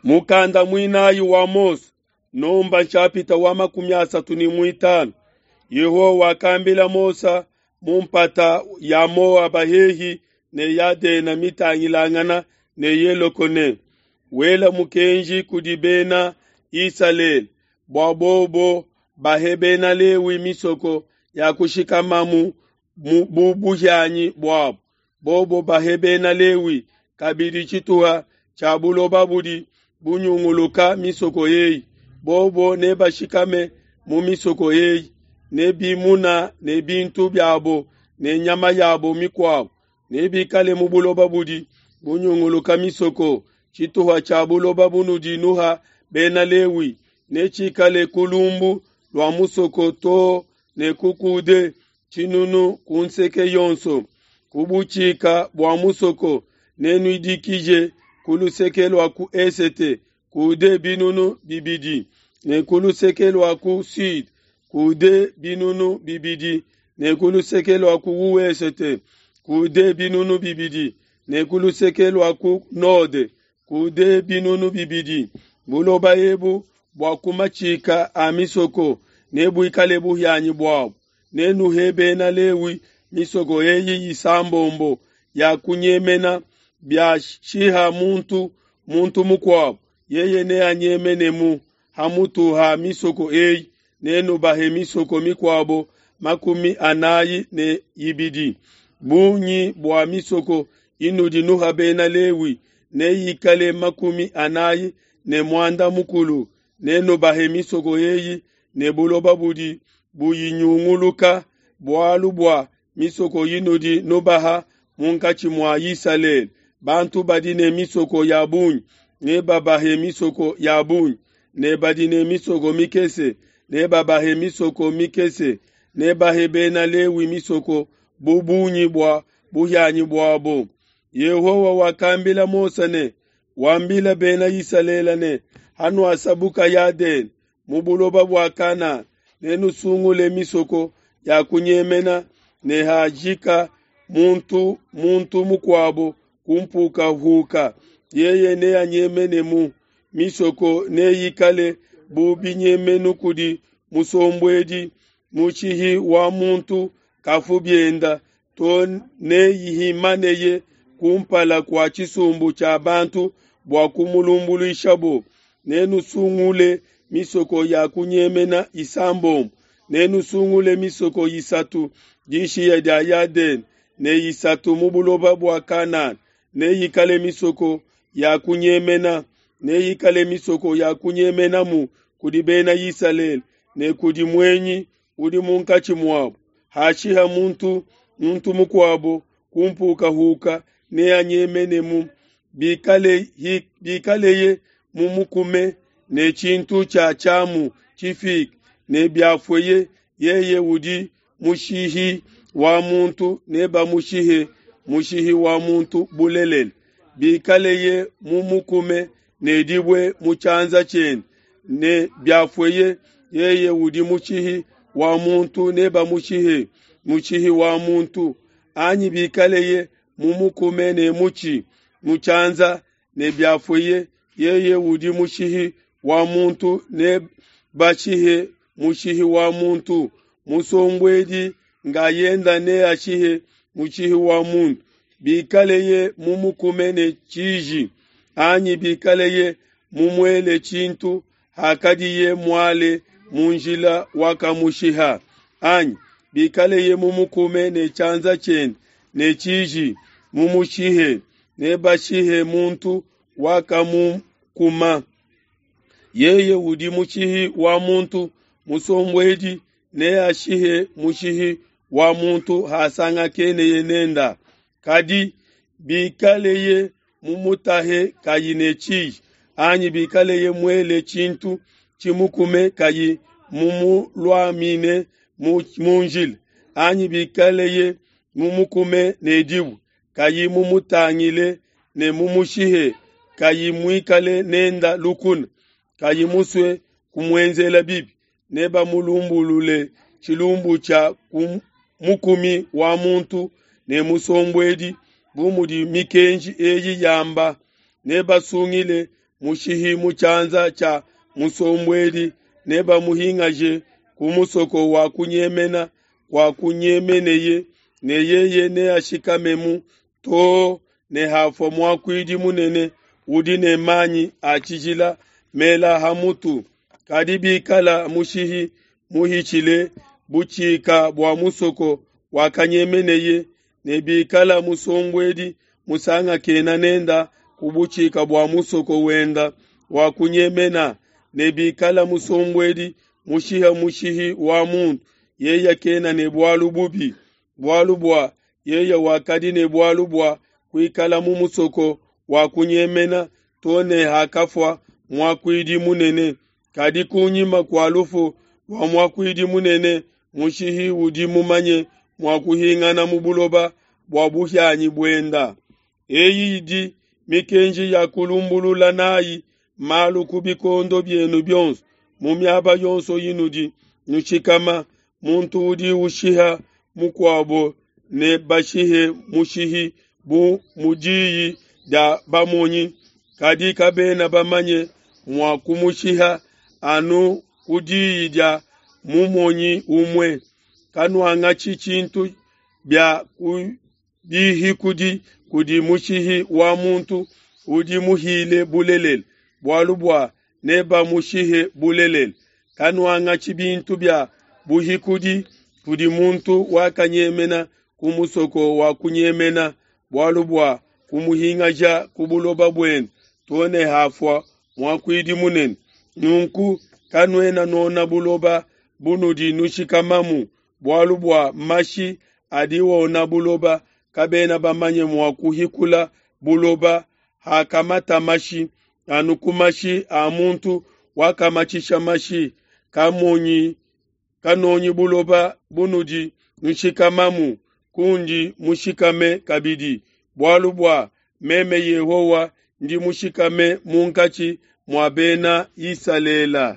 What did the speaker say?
Mukanda muinayi wa Mose, Nomba nshapita wa 35. Yehowa wakambila Mose mu mpata ya Moaba hehi ne Yadena mitangilangana ne Yeleko ne, wela mukenji kudi bena Isalele bua bobo bahe bena Lewi misoko ya kushikamamu bu buhianyi buabo. Bobo bahe bena Lewi kabidi tshituha tshia buloba budi bunyunguluka misoko eyi. Bobo nebashikame mu misoko eyi ne bimuna ne bintu biabo ne nyama yabo mikuabo. Nebikale mu buloba budi bunyunguluka misoko. Tshituha tshia buloba bunudi nuha bena Lewi netshikale ku lumbu lua musoko too ne ku coude 000 ku nseke yonso. Ku butshika bua musoko nenuidikije ku luseke lua ku esete coude 2000, ne ku luseke lua ku sude coude 2000, ne ku luseke lua ku wesete coude 2000, ne ku luseke lua ku node coude 2000. Buloba ebu bua ku matshika a misoko nebuikale buhianyi buabo. Nenuhe bena Lewi misoko eyi isambombo ya kunyemena biashiha muntu muntu mukuabo, yeye neanyemenemu hamutu ha misoko eyi. Nenubahe misoko mikuabo 42. Bungi bua misoko inudi nuha bena Lewi neyikale 45. Nenubahe misoko eyi ne buloba budi buyinyunguluka, bualu bua misoko inudi nubaha munkatshi mua Isalele. Bantu badi ne misoko ya bungi nebabahe misoko ya bungi, ne badi ne misoko mikese nebabahe misoko mikese. Nebahe bena Lewi misoko bu bungi bua buhianyi buabo. Yehowa wakambila Mose ne, wambila bena Isalele ne, hanuasabuka Yadene mu buloba bua Kana, nenusungule misoko ya kunyemena, ne hajika muntu muntu mukuabo kumpukahuka, yeye neanyemenemu. Misoko neyikale bu binyemenu kudi musombuedi, mushihi wa muntu kafu bienda to neyihimaneye kumpala kua tshisumbu tshia bantu bua kumulumbuluishabo. Nenusungule misoko ya kunyemena isambombo, nenusungule misoko isatu dishiya dia Yadene ne isatu mu buloba bua Kanana. Neyikale misoko ya kunyemena, neyikale misoko ya kunyemenamu kudi bena Isalele ne kudi muenyi udi munkatshi muabo. Hashiha muntu muntu mukuabo kumpukahuka, neanyemenemu. Bikaleye mumukume ne tshintu tshia tshiamu tshifike, ne biafueye, yeye udi mushihi wa muntu, nebamushihe mushihi wa muntu bulelela. Bikaleye mumukume ne dibue mu tshianza tshiende, ne biafueye, yeye udi mushihi wa muntu, nebamushihe mushihi wa muntu. Anyi bikaleye mumukume ne mutshi mu tshianza, ne biafueye, yeye udi mushihi wa muntu, nebashihe mushihi wa muntu. Musombuedi ngayenda neashihe mushihi wa muntu. Bikaleye mumukume ne tshiji, anyi bikaleye mumuele tshintu hakadiye muale mu njila wakamushiha, anyi bikaleye mumukume ne tshianza tshiende ne tshiji mumushihe, nebashihe muntu wakamukuma. Yeye udi mushihi wa muntu, musombuedi neashihe mushihi wa muntu hasangakeneye nenda. Kadi bikaleye mumutahe kayi ne tshiji, anyi bikaleye muele tshintu tshimukume kayi mumuluamine mu njila, anyi bikaleye mumukume ne dibue kayi mumutangile ne mumushihe, kayi muikale nenda lukuna, kayi musue kumuenzela bibi, nebamulumbulule tshilumbu tshia mukumi wa muntu ne musombuedi bu mudi mikenji eyi yamba. Nebasungile mushihi mu tshianza tshia musombuedi, nebamuhingaje ku musoko wa kunyemena kua kunyemeneye, ne yeye neashikamemu too ne hafua muakuidi munene udi ne manyi a tshijila mela ha mutu. Kadi bikala mushihi muhitshile butshika bua musoko wakanyemeneye, ne bikala musombuedi musangakena nenda ku butshika bua musoko wenda wa kunyemena, ne bikala musombuedi mushiha mushihi wa muntu, yeye kena ne bualu bubi, bualu bua yeye wakadi ne bualu bua kuikala mu musoko wa kunyemena too ne hakafua muakuidi munene. Kadi kunyima kua lufu lua muakuidi munene, mushihi udi mumanye mua kuhingana mu buloba bua buhianyi buenda. Eyi idi mikenji ya kulumbulula nayi malu ku bikondo bienu bionso, mu miaba yonso inudi nushikama. Muntu udi ushiha mukuabo ne bashihe mushihi bu mu diyi dia bamonyi, kadi kabena bamanye mua kumushiha anu ku diyi dia mumonyi umue. Kanuangatshi tshintu bia bihikudi kudi mushihi wa muntu udi muhile bulelela, bualu bua nebamushihe bulelela. Kanuangatshi bintu bia buhikudi kudi muntu wakanyemena ku musoko wa kunyemena, bualu bua kumuhingaja ku buloba buende too ne hafua muakuidi munene. Nunku kanuena nuona buloba bunudi nushikamamu, bualu bua mashi adi wona buloba, kabena bamanye mua kuhikula buloba hakamata mashi, anu ku mashi a muntu wakamatshisha mashi. Kamonyi kanonyi buloba bunudi nushikamamu, kundi mushikame kabidi, bualu bua meme Yehowa ndi mushikame munkatshi mua bena Isalele.